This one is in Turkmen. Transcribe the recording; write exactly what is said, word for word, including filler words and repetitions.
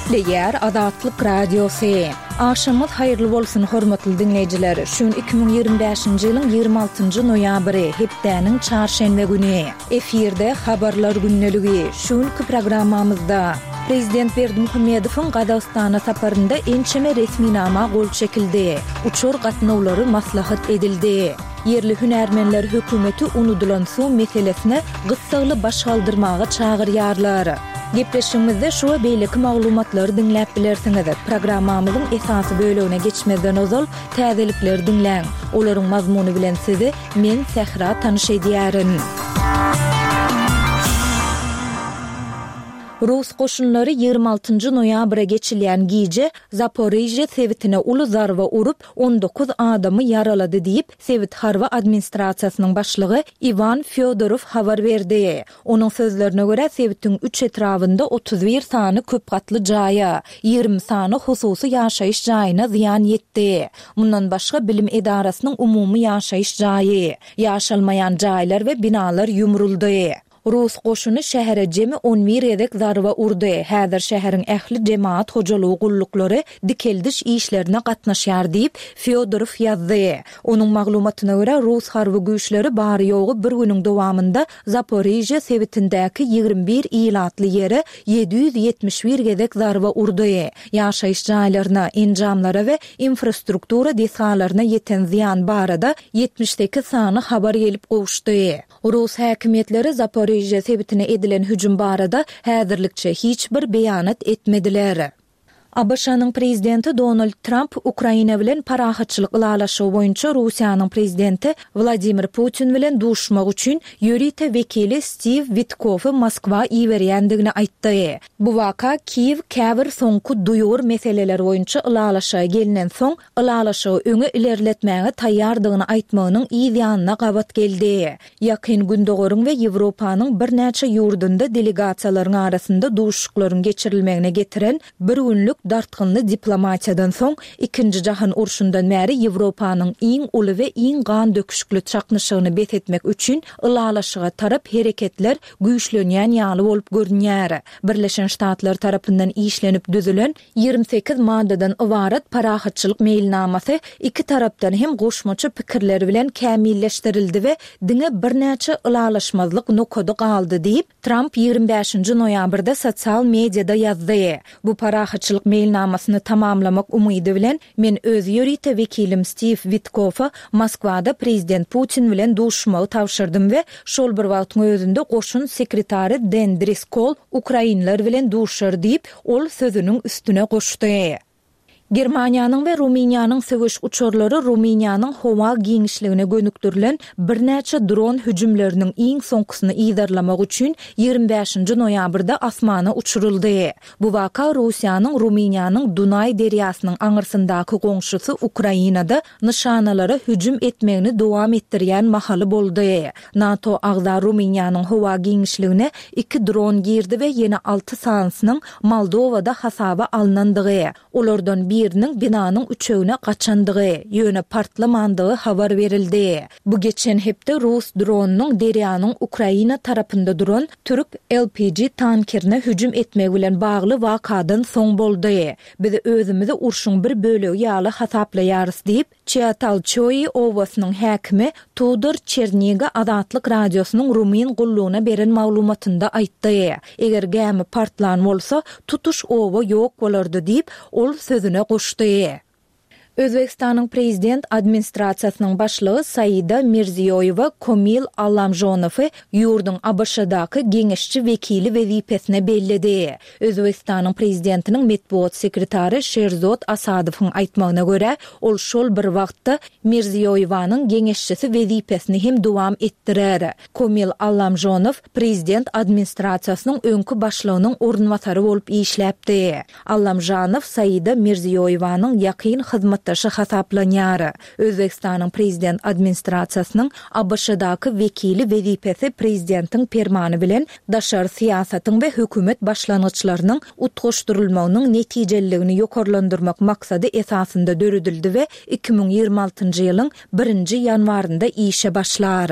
Gepleýär Azatlyk Radiosy. Agşamyňyz haýyrly bolsun, hormatly diňleýjiler! Şu gün iki müň ýigrimi bäşinji ýylyň ýigrimi altynjy noýabry, hepdäniň çarşenbe güni. Efirde Habarlar gündeligi. Şu günki programmamyzda Prezident Berdimuhamedowyň Gazagystana saparynda ençeme resminama gol çekildi, uçar gatnawlary maslahat edildi. Ýerli hünärmenler hökümeti unudylan suw meselesine gyssagly baş galdyrmaga çagyrýarlar. Gepleşigimizde şu we beýleki maglumatlary diňläp bilersiňiz. Programmamyzyň esasy bölegine geçmezden ozal, täzelikleri diňläň. Olaryň mazmuny bilen sizi men, Sähra tanyş edýärin. Rus goşunlary ýigrimi altynjy noýabra geçilýän gije Zaporižýe sebitine uly zarba urup, on dokuz adamy ýaralady diýip, sebit harby administrasiýasynyň başlygy Iwan Fýodorow habar berdi. Onuň sözlerine görä, sebitiň üç etrabynda otuz bir sany köp gatly jaýa, ýigrimi sany hususy ýaşaýyş jaýyna zyýan ýetdi. Mundan başga, bilim edarasynyň umumy ýaşaýyş jaýy, ýaşalmaýan jaýlar we binalar ýumruldy. Rus goşuny şähere jemi on bir gezek zarba urdy. Häzir şäheriň ähli jemagat hojalygy gulluklary dikeldiş işlerine gatnaşýar diýip, Fýodorow ýazdy. Onuň maglumatyna görä, rus harby güýçleri bary-ýogy bir günüň dowamynda Zaporižýe sebitindäki ýigrimi bir ilatly ýere ýedi ýüz ýetmiş bir gezek zarba urdy. Ýaşaýyş jaýlaryna, enjamlara we infrastruktura desgalaryna ýeten zyýan barada ýetmiş sekiz sany habar gelip gowuşdy. Rus häkimiýetleri Zaporižýe sebitine edilen hüjüm barada häzirlikçe hiç bir beýanat etmediler. ABŞ-nyň prezidenti Donald Tramp Ukraina bilen parahatçylyk ylalaşygy boýunça Russiýanyň prezidenti Wladimir Putin bilen duşuşmak üçin ýörite wekili Stiw Witkoffy Moskwa iberýändigini aýtdy. Bu waka Kiýew käbir soňky duýgur meseleler boýunça ylalaşyga gelnensoň, ylalaşygy öňe ilerletmäge taýýardygyny aýtmagynyň yz ýanyna gabat geldi. Ýakyn Gündogaryň we Ýewropanyň birnäçe ýurdunda delegasiýalaryň arasynda duşuşyklaryň geçirilmegine getiren bir günlük dartgynly diplomatiýadan soň, Ikinji jahan urşundan bäri Ýewropanyň iň uly we iň gandöküşikli çaknyşygyny bes etmek üçin ylalaşyga tarap hereketler güýçlenýän ýaly bolup görünýär. Birleşen Ştatlar tarapyndan işlenip düzülen ýigrimi sekiz maddadan ybarat parahatçylyk meýilnamasy iki tarapdan hem goşmaça pikirler bilen kämilleşdirildi we diňe birnäçe ylalaşmazlyk nokady galdy diýip, Tramp ýigrimi bäşinji noýabrda sosial mediada ýazdy. Bu parahatçylyk meýilnamasyny tamamlamak umydy bilen, men öz ýörite wekilim Stiw Witkoffa Moskwada prezident Putin bilen duşuşmagy tabşyrdym we şol bir wagtyň özünde goşun sekretary Den Driskol ukrainler bilen duşar diýip, ol sözüniň üstüne goşdy. Germaniýanyň we Rumyniýanyň söweş uçarlary Rumyniýanyň howa giňişligine gönükdirilen birnäçe dron hüjümleriniň iň soňkusyny yzarlamak üçin ýigrimi bäşinji noýabrda asmana uçuryldy. Bu waka Russiýanyň Rumyniýanyň Dunaý derýasynyň aňyrsyndaky goňşusy Ukrainada nyşanalara hüjüm etmegini dowam etdirýän mahaly boldy. NATO agza Rumyniýanyň howa giňişligine iki dron girdi we ýene alty sanysynyň Moldowada hasaba alnandygy, olardan biriniň binanyň üçegine gaçandygy, ýöne partlamandygy habar berildi. Bu geçen hepde rus dronynyň derýanyň Ukraina tarapynda duran türk L P G tankerine hüjüm etmegi bilen bagly wakadan soň boldy. Biz özümizi urşuň bir bölegi ýaly hasaplaýarys diýip, Çiatalçoi obasynyň häkimi Tudor Çerniga Azatlyk Radiosynyň rumyn gullugyna beren maglumatynda aýtdy. Eger gämi partlan bolsa, tutuş oba ýok bolardy diýip, ol sözüne goşdy. Özbegistanyň Prezident administrasiýasynyň başlygy Saida Mirziýoýewa Komil Allamžonowy ýurduň A B Ş-daky geňeşçi wekili wezipesine belledi. Özbegistanyň Prezidentiniň metbugat sekretary Şerzod Asadowyň aýtmagyna görä, ol şol bir wagtda Mirziýoýewanyň geňeşçisi wezipesini hem dowam etdirer. Komil Allamžonow prezident administrasiýasynyň öňki başlygynyň orunbasary bolup işläpdi. Allamžanow Saida Mirziýoýewanyň ýakyn hyzmatdaşy hasaplanýar. Özbegistanyň prezident administrasiýasynyň A B Ş-daky wekili wezipesi prezidentiň permany bilen daşary syýasatyň we hökümet başlangyçlarynyň utgaşdyrylmagynyň netijeliligini ýokarlandyrmak maksady esasynda döredildi we iki müň ýigrimi altynjy ýylyň birinji ýanwarynda işe başlar.